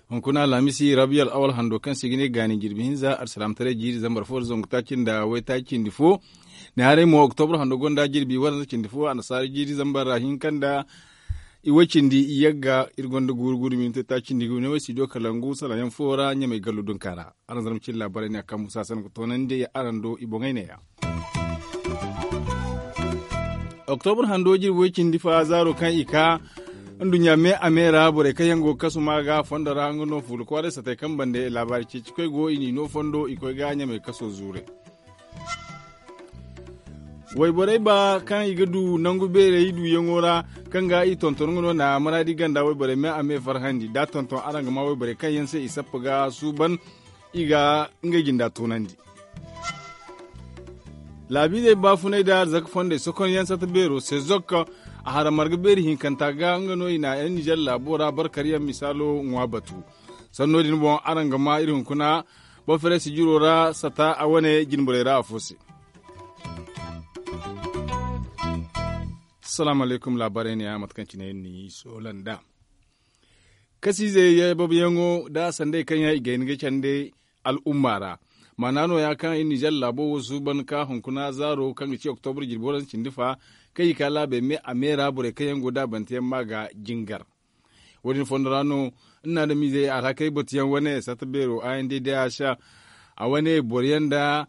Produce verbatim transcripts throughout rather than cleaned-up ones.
Hunkuna alhamisi rabiyal awal hando kaŋ se i ga ne gaani jirbi hinza alsilaamataray jiiri zambar fo da zangu taaci nda waytaaci cindi fo. Ne haray mo oktobra hando gonda jirbi waranza cindi fo annasaara jiiri zambar ra hinka nda iway cindi iyagga iri gonda guuru guuru minti taaci nda igu ne way studio kalangu salaŋ yaŋ fo ra ɲamay gallo dunka ra. Araŋ zarma cine laabaray ne a kambu saasana ga toonandi araŋ do i boŋey neeya. Oktobra hando jirbi way cindi fa zaaro kaŋ i ka nduɲɲa me a me ra borey kaŋ yaŋ go ga kasu ma ga fondo ra nga no fuula kwaaray satey kaŋ bande laabaari ceeci koy go i n'i no fondo i koy ga ɲamay kaso zuuray. Wayborey ba kaŋ i ga du nangu beerey duuyaŋo ra kaŋ ga i tonton nga no na maraadi ganda wayborey me a me farhandi da tonton araŋ ga ma wayborey kaŋ yaŋ se i sappa ga suuban i ga ngey jinda toonandi. Laabiizey baafunay da arzaka fondey sokonyaŋ sata beero se zokka a hara marga beeri hinkanta ga nga no i na yaŋ nizer laabo ra barkaryaŋ misaalo ŋwa batu. Sanno din boŋ araŋ ga ma iri hunkuna boferesi jiro ra sata a wane jinborey ra afo se. Salaamu alaykum laabaray ne ya mate kaŋ cine iri n'i soola nd'a. Kasiizey yababyaŋo nda sandey kaŋ yaŋ i ga hin ga candi al'umma ra. Maana nooya kaŋ iri nizer laabo wo suuban ka hunkuna zaaro kaŋ ga ci oktobra jirbi waranza cindi fa kaŋ i ka laabey me a me ra borey kaŋ yaŋ go da bante yaŋ ma ga jingar. Wo- din fondo ra no iri na adamiizey alhakey batuyaŋ wane sata beero a yaŋ day day a se a wane boro yaŋ nda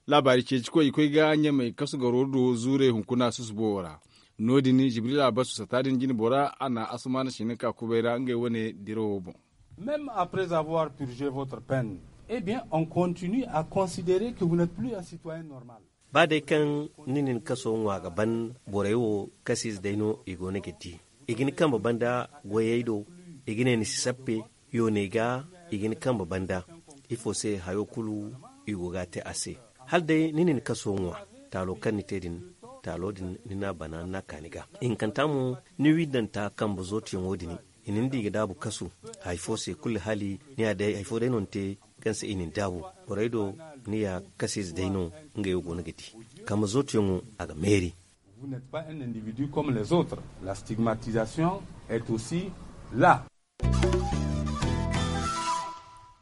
laabaari ceeci koy i koy ga ɲamay kasu garo do zuurey hunkuna susubo wo ra. No- din jibril a basu sata din jine bora a na asumaana sina ka kubay ra ngey wane dirawo boŋ. Même après avoir purgé votre peine, eh bien on continue à considérer que vous n'êtes plus un citoyen normal. Ba day kaŋ ni na ni kaso ŋwa ga ban borey wo kasiize day no i go no ga di. I ga ni kambe banda goyey do. I ga ne ni si sappe yooney ga. I ga ni kambe banda ifo se hayo kulu i go ga a te a se. Hala day ni na ni kaso ŋwa taalo kaŋ ni te din taalo din ni n'a bana ni n'a ka ni ga. Ihinkanta mo ni wiidanta kambe zootiyaŋo din i na ni di ga daabu kasu. Hari fo se kulu hala ni ya day hari fo day no ni te kaŋ se i na ni daabu. Borey do ni ya kasiize day no ngey wo go no ga di. Kambe zootiyaŋo a ga meeri. Vous n'êtes pas un individu comme les autres. La stigmatisation est aussi là.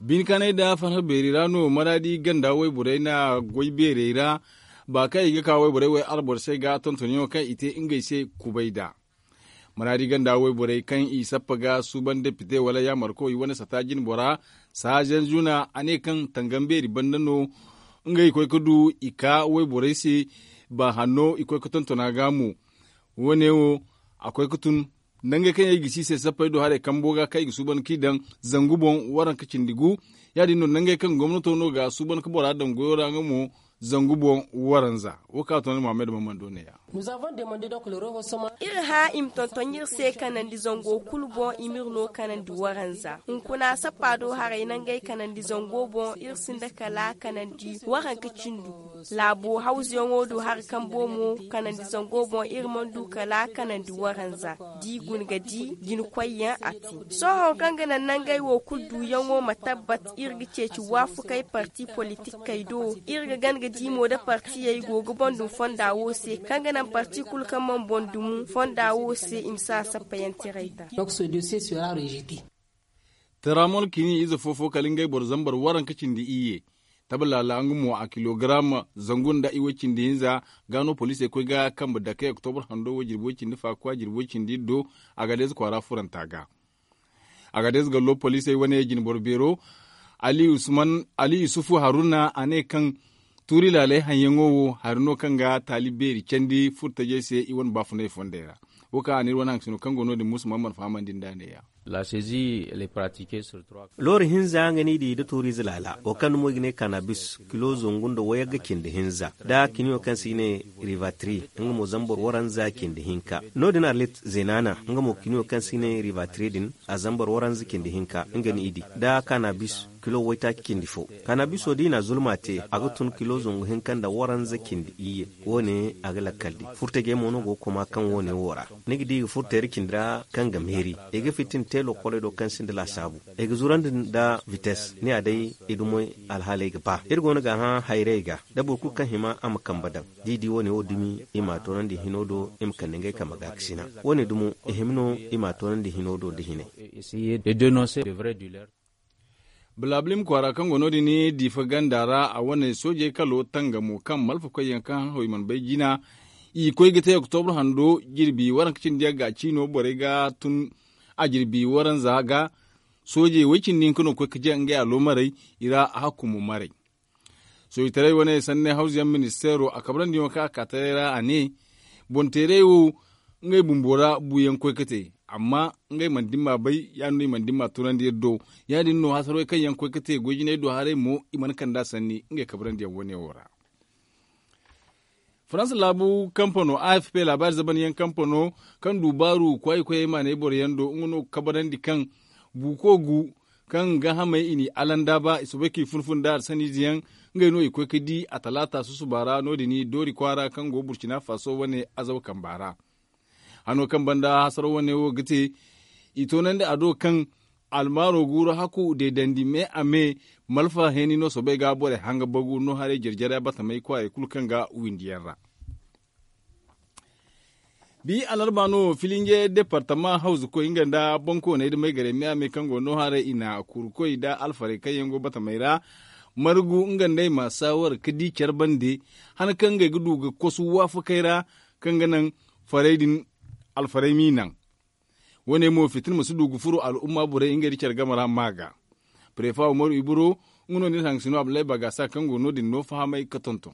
Bine kaanay nda farhã beeri ra no maraadi ganda wayborey na goy beerey ra. Ba kaŋ i ga ka wayborey way alboro se ga tontonyaŋo kaŋ i te ngey se kubay nd'a. Maraadi ganda wayborey kaŋ i sappa ga suuban depite wala yaamarko i wane sata jine bora saazen zuna a ne kaŋ tangam beeri banda no ngey koy ga du i ka wayborey se. Ba hanno i koy ga tonton a ga mo. Wo- ne wo a koy ga tun nangey kaŋ yaŋ i ga si i se sappey do haray kambo ga kaŋ i ga suuban kaŋ i daŋ zangu boŋ waranka cindi gu. Ya- din no nangey kaŋ gomnato no ga suuban ga bora daŋ goyo ra nga mo zangu boŋ waranza. Wo kaŋ a to ni muhammad mammando ne- ya. Iri hã i ma tonton iri se kanandi zango kulu boŋ i m'iri no kanandi waranza hunkuna sappa do haray nangey kanandi zango boŋ iri sinda kala kanandi waranka cindi gu. Laabo hawzuyaŋo do hari kambo mo kanandi zango boŋ iri mana du kala kanandi waranza. D'i guna ga di jina koyyaŋ a te. Sohõ kaŋ ga naŋ nangey wo kulu duuyaŋo ma tabbat iri ga ceeci waafakey parti politikey do. Iri ga gana ga di mo da partiyey go ga boŋ dum fonda wo se kaŋ ga naŋ parti kulu kaŋ mana boŋ dum fonda wo se i ma si a sappayantiray da. Taraamol kini ize fo-fo kala ngey boro zambar waranka cindi iyye. Tabalala nga mo a kilogaram zangu nda iway cindi hinza. Ga no poliisey koy ga kambe dakey oktobra hando wo jirbi way cindi faakwa jirbi way cindi iddo. Agades kwaara furanta ga agades gallo poliisey wane jinboro beero ali yusufu haruna a ne kaŋ tuuri laaley haŋyaŋo wo hari no kaŋ ga taali beeri candi furtajey se i wane baafunay fondey ra. Wo kaŋ a ne iri wane haŋ sino kaŋ go no- din musu man mana fahamandi nda a ne- ya. Looru hinza nga no i di nda tuuriize laala wo kaŋ dumo i ga ne kanabis kilo zangu nda wayagga cindi hinza nda kiniyo kaŋ se i ne rivatri. Nga mo zambar waranza cindi hinka no- din arlit zenana nga mo kiniyo kaŋ se i ne rivatri din a zambar waranza cindi hinka nga no i di nda kanabis kilo waytaaci cindi fo. Kanabiso da i na a zulma te a ga tun kilo zangu hinka nda waranza cindi iyye. Wo- ne a ga lakkal di furtajey mo no go ga koma kaŋ wo- ne wo ra ni ga di i ga furtayra cindi ra kaŋ ga meeri i ga fitin. te lokoley do kaŋ sinda laasaabu. Ay ga zurandi nda vites ni ya day i dumo. Alhaaley ga ba iri go no ga hã hayrey ga da boro kulu kaŋ hima a ma kambe daŋ. Da i di wo- ne wo dumi i m'a toonandi hino do i ma kande ngey kambe ga ga sina. Wo- ne dumo i hima no i m'a toonandi hino do nda hinay. Balabilim kwaara kaŋ go no- din diifa ganda ra a wane soojey kalo tangamo kaŋ malfakoy yaŋ kaŋ haŋ haw i mana bay jina. I koy ga te oktobra hando jirbi waranka cindi yaŋ ga a ciino borey ga tun. A jirbi waranza ga soojey way cindi hinka no ga koy ga jaŋ ngey aloomarey i ra a hakkumo maray. Soojitaray wane sanney hawzuyaŋ ministeero a kabrandi yaŋo kaŋ a ka taray ra a ne, boŋ teeray wo ngey bumbo ra buuyaŋ koy ga te. Amma ngey mana dimma bay ya- din no i mana dimma tunandi iri do. Ya- din no hasarwey kaŋ yaŋ koy ga te goy jinay do haray mo i mana kand'a sanni ngey kabrandi yaŋ wane wo ra. Faransa laabu kampano a f p laabaari zaban yaŋ kampano kaŋ du baaru kwaayi koyey maanay boro yaŋ do nga no ga kabrandi kaŋ buuko gu kaŋ ga hamay i n'i alandaaba i soobay k'i fun-fun nda arsaniize yaŋ. Ngey no i koy ga di a talaata susuba ra no- din doori kwaara kaŋ go burcina faso wane azaw kamba ra. Hano kaŋ banda hasaro wane wo ga te i toonandi a do kaŋ almaaro guuru hakku deedandi me a me. Malfa heeni no soobay ga borey hanga bagu no haray jare-jare batamey kwaarey kulu kaŋ ga windi yaŋ ra. Bi alarba no filinje departama hawzu koy nga nda bankooney da maygarey me a me kaŋ go no haray i na kuru koy nda alfarey kaŋ yaŋ go batamey ra. Margu nga nd'ey ma saawar ga di care bande han kaŋ ngey ga du ga kosu waafakey ra kaŋ ga naŋ farey din alfarey m'i naŋ. Wo- ne mo fitina ma si du ga furo al'umma borey ngey nda care game ra ma ga. Prefa umaru iburo nga no nda iri hangasino abdullahi bagasa kaŋ go no- din no fahamay ga tonton.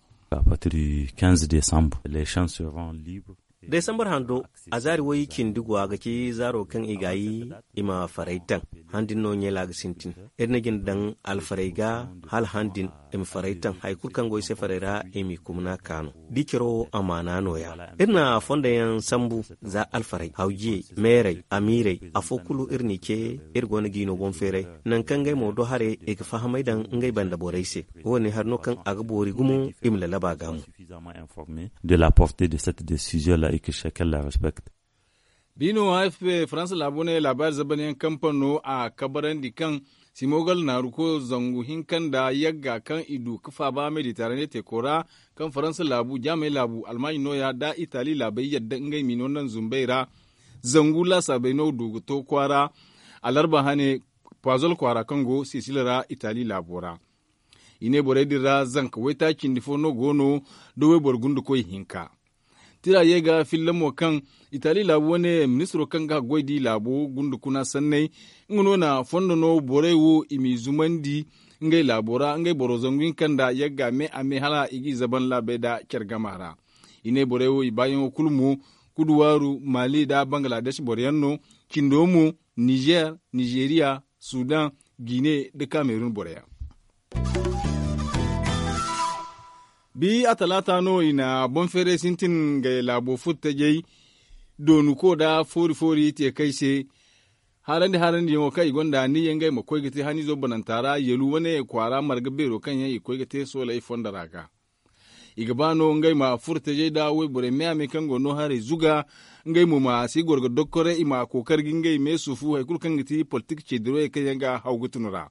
Desambar hando a zaari way cindi go a ga ci zaaro kaŋ i ga yi i ma faray taŋ. Han din no ɲeela ga sintin. Iri na jina daŋ alfarey ga hala han din i ma faray taŋ hari kulu kaŋ go i se farey ra i m'i kumna ka no. Da i caro amaana nooya iri na fonda yaŋ sambu. Za alfarey hawjiyey meerey amiirey afo kulu iri n'i ce. Iri go no g'i no boŋ feeray nangu kaŋ ngey mo do haray i ga fahamay daŋ ngey banda borey se. Wo- ne hari no kaŋ a ga boori gumo i ma lalaba ga mo. De la porte de cette decision la et que chacun la respecte. Biino a f p faransa laabo ne laabaari zaban yaŋ kampano a kabarandi kaŋ simogal naaru ko zangu hinka nda yagga kaŋ i du ga faaba mediterane teeko ra kaŋ faransa laabu jaamey laabu almaaɲi nooya nda itali laabey yadda ngey m'i no naŋ zumbey ra. Zangu laasaabey no du ga to kwaara alarba hane pazol kwaara kaŋ go sisila ra itali laabo ra. I ne borey din ra zanka waytaaci cindi fo no go no da wayboro gundukoy hinka. Tira ye ga filla mo kaŋ itali laabu wane ministiro kaŋ ga haggoy di laabo gundukuna sanney nga no na fondo no borey wo i m'i zumandi ngey laabo ra ngey boro zangu hinka nda yagga me a me hala i g'i zaban laabey nda care gama ra. I ne borey wo i baayaŋo kulu mo kuduwaaru mali nda bangladec boro yaŋ no. Cindo mo nizer nizeriya sudan gine nda kamerun boro yaŋ. Bi a talaata no i na boŋ feeray sintin ngey laabo furtajey doonuko nda foori-foori teekey se. Haarandi-haarandiyaŋo kaŋ i gonda aniya ngey ma koy ga te haniizo bananta ra yalu wane kwaara marga beero kaŋ yaŋ i koy ga te sooley fonda ra ga. I ga ba no ngey ma furtajey nda wayborey me-a-me kaŋ go no haray zuga. Ngey mo ma si goro ga dokkoray i ma kookari ga ngey me sufu hari kulu kaŋ ga ti politik ceedirawey kaŋ yaŋ ga haw ga tun ra.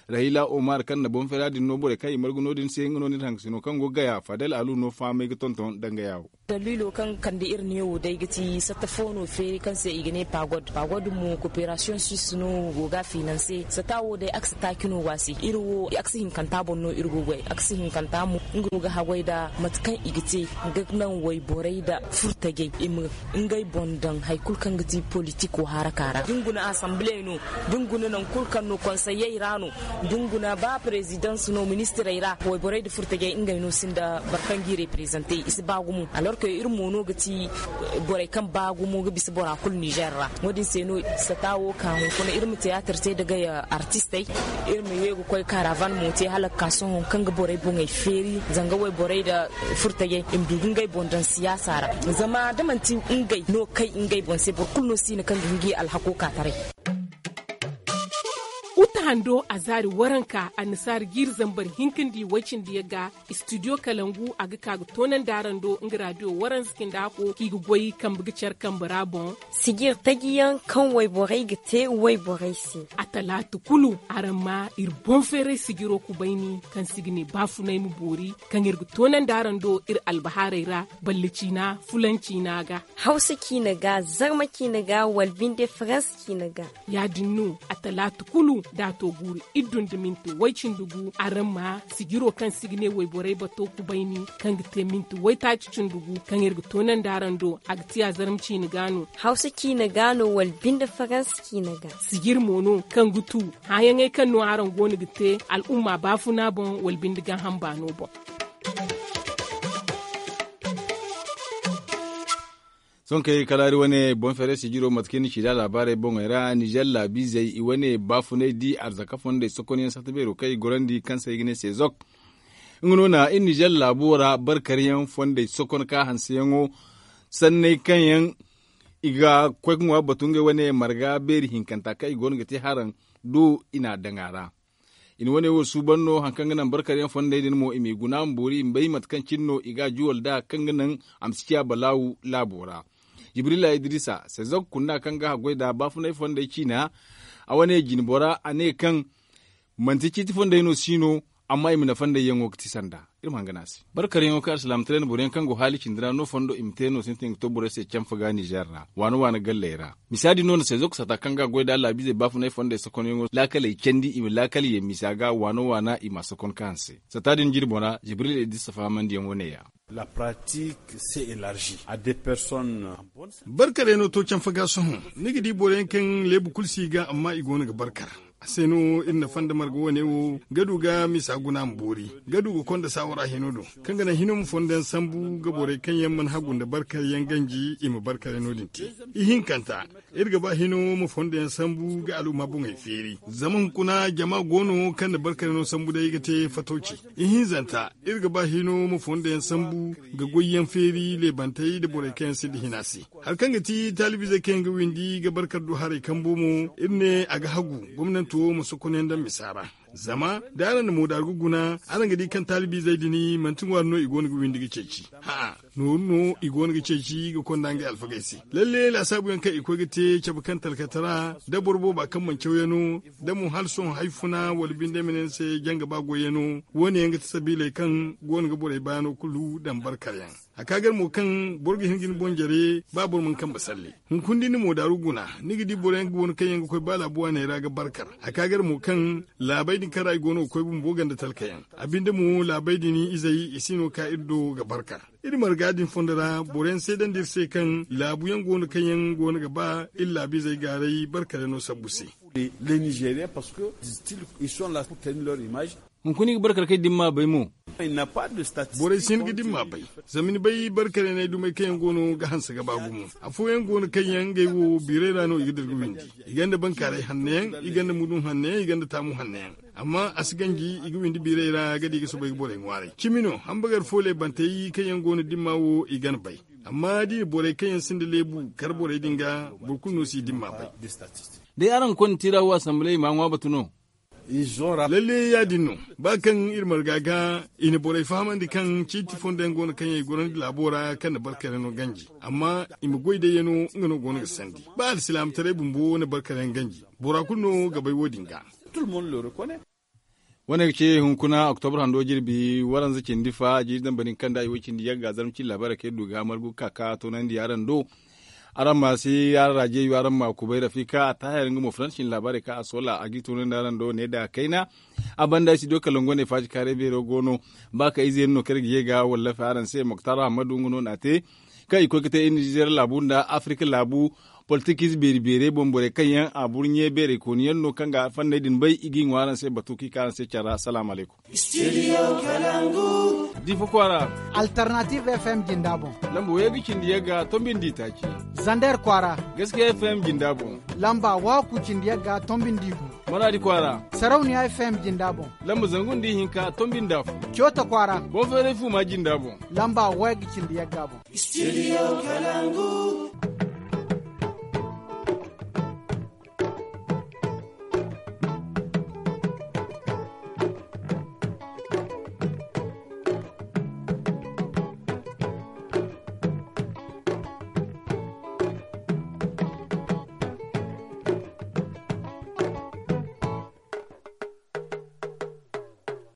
Rahila omar kaŋ na boŋ feera din no borey kaŋ i margu no- din se nga no nda iri hangasino kaŋ go gaya fadel alu no fahamay ga tonton dangaya wo. Daliilo kaŋ kande iri neewo day ga ti satta fo no feeri kaŋ se i ga ne pagod pagod mo koperasiyoŋ suisse no go ga finanse sata wo day a ga si taaci no go a se iri wo a ga si hinkanta boŋ no iri go goy a ga si hinkanta mo nga no ga haggoy nda mate kaŋ i ga te ga naŋ wayborey nda furtajey i ma ngey boŋ daŋ hari kulu kaŋ ga ti politiko haraka ra da ni guna asamble no da ni guna nangu kulu kaŋ no konseyey ra no da ni guna ba presidence no ministirey ra wayborey nda furtajey ngey no sinda boro kaŋ g'i reprezante i si ba gumo alors que iri mo no ga ti borey kaŋ ba gumo ga bisa bora kulu nizer ra. Wo- din se no sata wo ka hunkuna iri ma tiyaatir te nda gay artistey iri ma ye ga koy karavan mo te hala ga ka sohõ kaŋ ga borey boŋey feeri zanga wayborey nda furtajey i ma du ga ngey boŋ daŋ siyaasa ra. Zama da manti ngey no kay ngey boŋ se boro kulu no si hin kaŋ ga hin g'i alhako ka taray. Uta hando a zaari waranka annasaari jiiri zambar hinka nda i way-cindi yagga. Istidiyo kalangu a ga ka ga toonandi araŋ do nga raadiyo waranza cindi hako kaŋ i ga goy kambe ga care kambe ra boŋ. Sijir taji yaŋ kaŋ wayborey ga te wayborey se. A talaata kulu araŋ ma iri boŋ feeray sijiro kubayni kaŋ se i ga ne baafunay ma boori, kaŋ iri ga toonandi araŋ do iri albahaarey ra, balle ciina fulan ciina ga, hawsa ciina ga, zarma ciina ga, wala binde faransa ciina ga. Ya- din no a talaata kulu da a to guuru iddu nda minti way-cindi gu araŋ ma sijiro kaŋ se i ga ne wayborey bato kubayni, kaŋ ga te minti waytaaci cindi gu kaŋ iri ga toonandi araŋ do. A ga ti a zarma ciina ga no, hawsa ciina ga no, wala binde faransa ciina ga. Sijir mo no kaŋ ga tu hããyaŋey kaŋ no araŋ go no ga te al'umma baafuna boŋ wala binde gaaham baano boŋ. Sohõ kay kala iri wane boŋ feeray sijiro mate kaŋ iri na ci nd'a laabaarey boŋey ra nizer laabiizey i wane baafunay di arzaka fondey sokonyaŋ sata beero kaŋ i gorandi kaŋ se i ga ne sezok. Nga no na iri nizer laabo ra barkaryaŋ fondey sokon ka hanseyaŋo sanney kaŋ yaŋ i ga koy ga ŋwa batu ngey wane marga beeri hinkanta kaŋ i go no ga te haraŋ do i n'a daŋ a ra. I na wane wo suuban no hari kaŋ ga naŋ barkaryaŋ fondey din mo i m'i guna ma boori i ma bay mate kaŋ cine no i ga a juwal nd'a kaŋ ga naŋ a ma si ciya balaawu laabo ra. Jibrila idrisa sezok kunna kaŋ ga haggoy nd'a baafunay fondey ciina a wane jine bora a ne kaŋ manti ciiti fondey no si no, amma i ma nafa nd'ey yaŋo ga ti sanda. Iri ma hangana a se barkaryaŋo kaŋ alsilaamataray na boroyaŋ kaŋ go haali cindi ra no fondo i ma te no sintin ga to borey se canfa ga nizer ra waana waana galley ra. Misa din no na sezok sata kaŋ ga a goy nd'a laabiizey baafunay fondey sokonyaŋo laakaley candi i ma laakal ye misa ga waana waana i m'a sokon ka hanse. Sata din jirbo ra jibril idrisa fahamandiyaŋo ne- ya. Barkarey no to canfa ga sohõ ni ga di boroyaŋ kaŋ leebu kulu si i ga amma i go no ga barkar. A se no iri na fanda marga wane wo ga du ga misa guna ma boori ga du ga konda saawara hino do kaŋ ga naŋ hino ma fondo yaŋ sambu ga borey kaŋ yaŋ mana hagu nda barkaryaŋ ganji i ma barkarey no- din te. Ihinkanta, iri ga ba hino ma fondo yaŋ sambu ga al'umma boŋey feeri zama hunkuna jama go no kaŋ na barkarey no sambu day ga te fatooci. Ihinzanta, iri ga ba hino ma fondo yaŋ sambu ga goyyaŋ feeri leebantey nda borey kaŋ yaŋ sinda hina se. Hari kaŋ ga ti taalibiizey kaŋ yaŋ ga windi ga barkar du haray kambo mo iri ne a ga hagu gomnanto ma sokonyaŋ daŋ misa ra. Zama da araŋ na moodaaru ga guna araŋ ga di kaŋ taalibiizey din manti ŋwaari no i go no ga windi ga ceeci. Hã'a, nooru no i go no ga ceeci ga konda ngey alfagey se. Lalle laasaabuyaŋ kaŋ i koy ga te cabe kaŋ talkatara nda boro booba kaŋ mana cawyaŋo nda mo hala sohõ hay funa wala binde ma ne ni se janga ba goyyaŋo. Wo- ne yaŋ ga ti sabiiley kaŋ go no ga borey baano kulu daŋ barkaryaŋ. A ka gar mo kaŋ boro ga hin ga ni boŋ jare ba boro mana kambe salle. Hunkuna da ni moodaaru guna ni ga di boroyaŋ go no kaŋ yaŋ ga koy ba laabu waaney ra ga barkar. A ka gar mo kaŋ laabey din kaŋ ra i go no ga koy bumbo ganda talkayaŋ. A binde mo laabey din izey i si no ga ka iri do ga barkar. Iri marga din fondo ra boroyaŋ seedandi iri se kaŋ laabuyaŋ go no kaŋ yaŋ go no ga ba iri laabiizey gaaray barkaryaŋo sabbu se. Hunkuna i ga barkar kaŋ i dimma bay mo. Borey si hin ga dimma bay. Zama ni bay barkaryaŋey dumey kaŋ yaŋ go no ga hanse ga ba gumo. Afooyaŋ go no kaŋ yaŋ ngey wo biirey ra no i ga dira ga windi. I gonda bankaaray hanno yaŋ, i gonda mudun hanno yaŋ, i gonda taamu hanno yaŋ. Amma a si ganji i ga windi biirey ra ga di ga soobay ga borey ŋwaaray cimi no. Hambagar fo leebantey kaŋ yaŋ go no dimma wo i gan bay. Amma da i na borey kaŋ yaŋ sinda leebu kar borey din ga, boro kulu no si i dimma bay. Day araŋ ga konda tiira wo asamble i m'a ŋwa batu no. Lalle ya- din no. Ba kaŋ iri marga ga i na borey fahamandi kaŋ ciiti fondo yaŋ go no kaŋ yaŋ i gorandi laabo ra kaŋ na barkaryaŋo ganji. Amma i ma goy day yaŋo nga no go no ga sandi ba alsilaamataray bumbo na barkaryaŋ ganji. Bora kulu no ga bay wo- din ga. Wane ga ce hunkuna oktobar hando jirbi waranza cindi fa jiiri dambari kaŋ da i wo cindi yagga zarma cindi laabaarey kaŋ iri du ga margu ga ka ka toonandi araŋ do. Araŋ ma si araŋ raajeeyo araŋ ma kubay rafika a taahir nga mo faransa cindi laabaarey kaŋ a soola a g'i toonandi araŋ do ne da kayna. A banda studio kalangu wane faaji kaaray beero go no. Ba ka ize yaŋ no kaŋ iri ga ye ga wallafi araŋ se moktar ahamadu nga no n'a te. Kaŋ i koy ga te iri nizeer laabu nda afirika laabu. Politikiize beeri beerey boŋ borey kaŋ yaŋ a burɲe beerey kooni yaŋ no kaŋ ga fanney din bay i g'i ŋwa araŋ se batu kaŋ i ka araŋ se care ra salaamu alaykum. Difa kwaara. Alternative fm jinda boŋ. Lamba way ga cindi yagga tombi nda i taaci. Zander kwaara. Gaskiya fm jinda boŋ. Lamba waaku cindi yagga tombi nda i gu. Maraadi kwaara. Sarauniya fm jinda boŋ. Lamba zangu nda i hinka tombi nda afo. Coota kwaara. Boŋ feeray fuuma jinda boŋ. Lamba way ga cindi yagga boŋ. Studio kalangu.